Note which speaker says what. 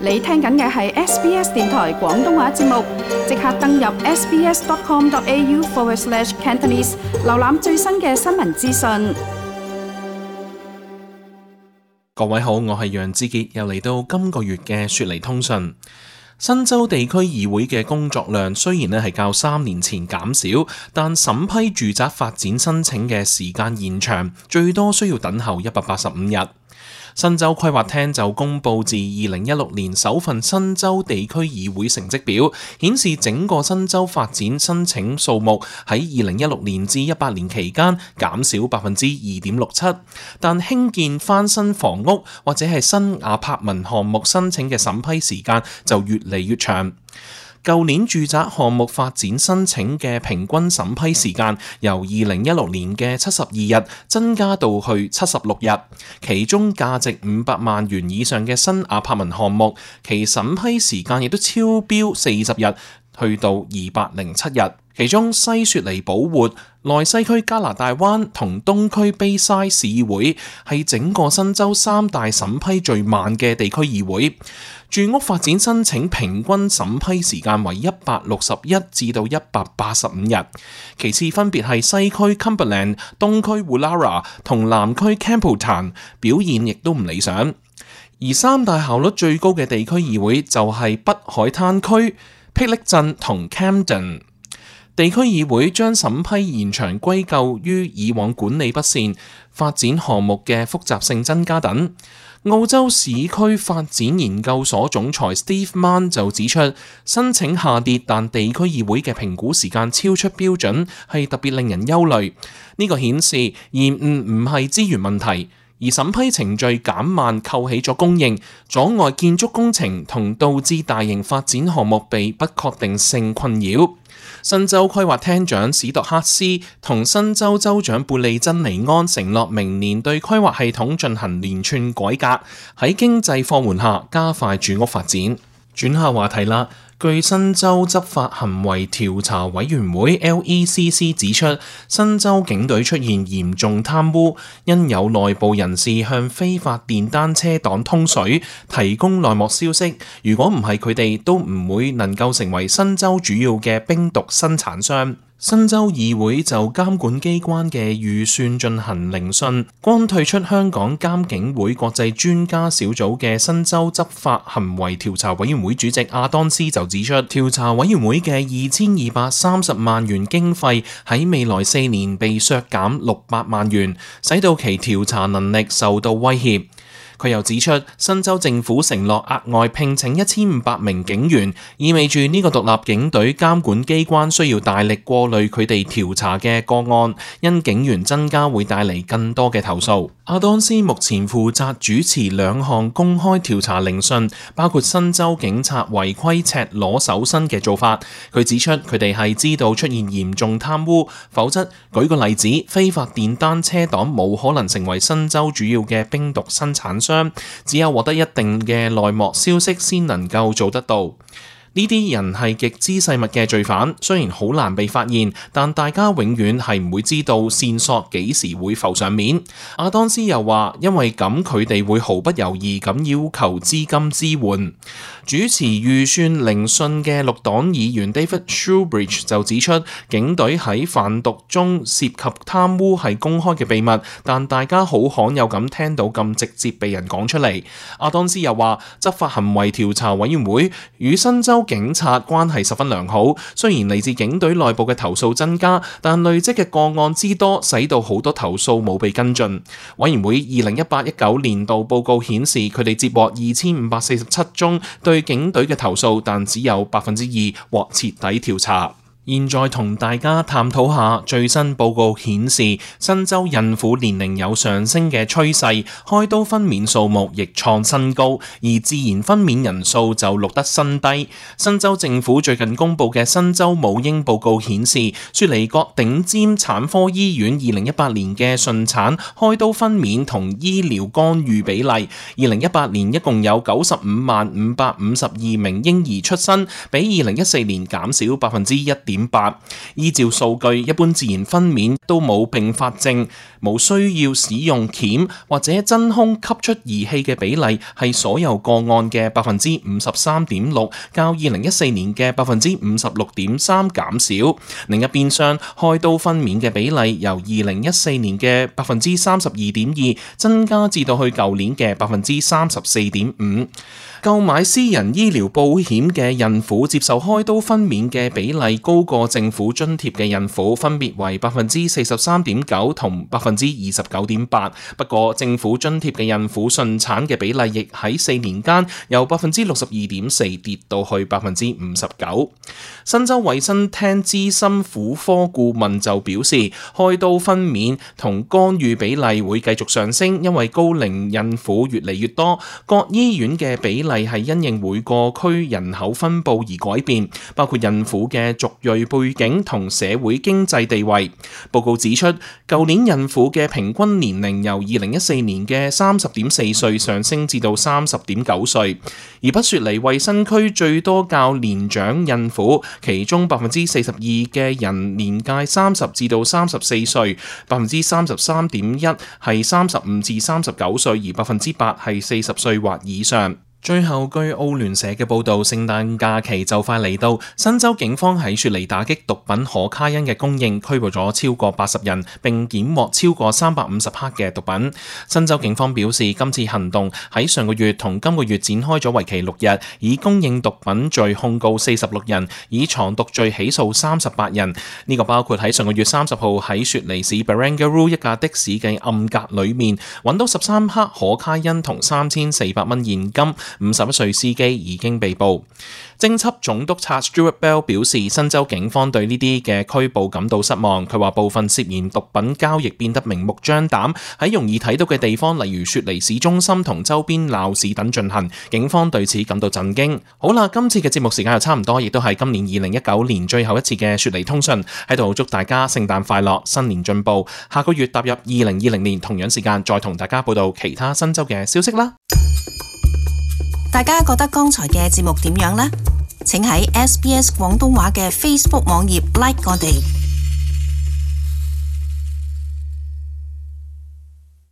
Speaker 1: 你聽緊嘅係 SBS 電台廣東話節目，即刻登入 sbs.com.au/cantonese 瀏覽最新嘅新聞資訊。
Speaker 2: 各位好，我係楊志傑，又嚟到今個月嘅雪梨通訊。新州地區議會嘅工作量雖然係較3年前減少，但審批住宅發展申請嘅時間延長，最多需要等候185日。新州規劃廳就公佈自2016年首份新州地區議會成績表，顯示整個新州發展申請數目喺2016年至18年期間減少2.67%，但興建翻新房屋或者係新亞柏文項目申請嘅審批時間就越嚟越長。舊年住宅項目發展申請嘅平均審批時間由2016年嘅72日增加到去76日，其中價值500萬元以上嘅新亞柏文項目，其審批時間亦都超標40日，去到207日。其中西雪梨寶活、內西區加拿大灣同東區卑西市議會係整個新州3大審批最慢嘅地區議會。住屋發展申請平均審批時間為161至到185日，其次分別係西區 Cumberland、東區 Woollahra 同南區 Campbelltown， 表現亦都唔理想。而3大效率最高嘅地區議會就係北海灘區、霹靂鎮同 Camden。地區議會將審批延長歸咎於以往管理不善、發展項目嘅複雜性增加等。澳洲市區發展研究所總裁 Steve Mann 就指出，申請下跌，但地區議會嘅評估時間超出標準，係特別令人憂慮。呢個顯示延誤唔係資源問題，而審批程序減慢扣起咗供應，阻礙建築工程同導致大型發展項目被不確定性困擾。新州規劃廳長史度克斯同新州州長貝利珍尼安承諾明年對規劃系統進行連串改革，喺經濟放緩下加快住屋發展。轉下話題啦。據新州執法行為調查委員會 LECC 指出，新州警隊出現嚴重貪污，因有內部人士向非法電單車黨通水，提供內幕消息。如果唔係佢哋，都唔會能夠成為新州主要嘅冰毒生產商。新州議會就監管機關嘅預算進行聆訊，剛退出香港監警會國際專家小組嘅新州執法行為調查委員會主席阿當斯就指出，調查委員會嘅2230萬元經費喺未來4年被削減600萬元，使到其調查能力受到威脅。佢又指出，新州政府承諾額外聘請1500名警員，意味住呢個獨立警隊監管機關需要大力過濾佢哋調查嘅個案，因警員增加會帶嚟更多嘅投訴。阿當斯目前負責主持2項公開調查聆訊，包括新州警察違規赤裸搜身嘅做法。佢指出佢哋係知道出現嚴重貪污，否則舉個例子，非法電單車黨冇可能成為新州主要嘅冰毒生產商，只有獲得一定嘅內幕消息先能夠做得到。呢啲人係極之細密嘅罪犯，雖然好難被發現，但大家永遠係唔會知道線索幾時會浮上面。阿當斯又話，因為咁佢哋會毫不猶豫咁要求資金支援。主持預算聆訊嘅綠黨議員 David Shoebridge 就指出，警隊喺販毒中涉及貪污係公開嘅秘密，但大家好罕有咁聽到咁直接被人講出嚟。阿當斯又話，執法行為調查委員會與新州警察關係十分良好，雖然嚟自警隊內部嘅投訴增加，但累積嘅個案之多，使到好多投訴冇被跟進。委員會2018-19年度報告顯示，佢哋接獲2547宗對警隊嘅投訴，但只有2%獲徹底調查。現在同大家探討下最新報告顯示，新州孕婦年齡有上升嘅趨勢，開刀分娩數目亦創新高，而自然分娩人數就錄得新低。新州政府最近公布嘅新州母嬰報告顯示，雪梨各頂尖產科醫院2018年嘅順產、開刀分娩同醫療干預比例，2018年一共有95萬552名嬰兒出生，比2014年減少1.5%。9.8。依照數據，一般自然分娩都冇併發症，冇需要使用鉗或者真空吸出儀器嘅比例係所有個案嘅 53.6%，較2014年嘅 56.3% 減少。另一邊廂，開刀分娩嘅比例由2014年嘅 32.2% 增加至到去舊年嘅 34.5%。購買私人醫療保險嘅孕婦接受開刀分娩嘅比例高過政府津貼嘅孕婦，分別為 43.9% 同 29.8%。不過政府津貼嘅孕婦順產嘅比例亦喺4年間由 62.4% 跌到去 59%。新州衛生廳資深婦科顧問就表示，開刀分娩同干預比例會繼續上升，因為高齡孕婦越嚟越多，各醫院嘅比例係因應每個區人口分佈而改變，包括孕婦嘅族裔背景同社會經濟地位。報告指出，舊年孕婦嘅平均年齡由2014年嘅 30.4 歲上升至到 30.9 歲，而北雪梨衛生區最多較年長孕婦，其中 42% 嘅人年屆30至到34歲， 33.1% 係35至39歲，而 8% 係40歲或以上。最後，據澳聯社嘅報導，聖誕假期就快嚟到，新州警方喺雪梨打擊毒品可卡因嘅供應，拘捕咗超過80人，並檢獲超過350克嘅毒品。新州警方表示，今次行動喺上個月同今個月展開咗為期6日，以供應毒品罪控告46人，以藏毒罪起訴38人。呢個包括喺上個月30號喺雪梨市 Barangaroo 一架的士嘅暗格裏面揾到13克可卡因同3400蚊現金。51歲司機已經被捕。偵緝總督察 Stuart Bell 表示，新州警方對呢啲嘅拘捕感到失望。佢話部分涉嫌毒品交易變得明目張膽，喺容易睇到嘅地方，例如雪梨市中心同周邊鬧市等進行。警方對此感到震驚。好啦，今次嘅節目時間又差唔多，亦都係今年2019年最後一次嘅雪梨通訊。喺度祝大家聖誕快樂，新年進步。下個月踏入2020年同樣時間，再同大家報道其他新州嘅消息啦。
Speaker 3: 大家覺得剛才嘅節目點樣呢？請喺 SBS 廣東話嘅 Facebook 網頁 like 我哋。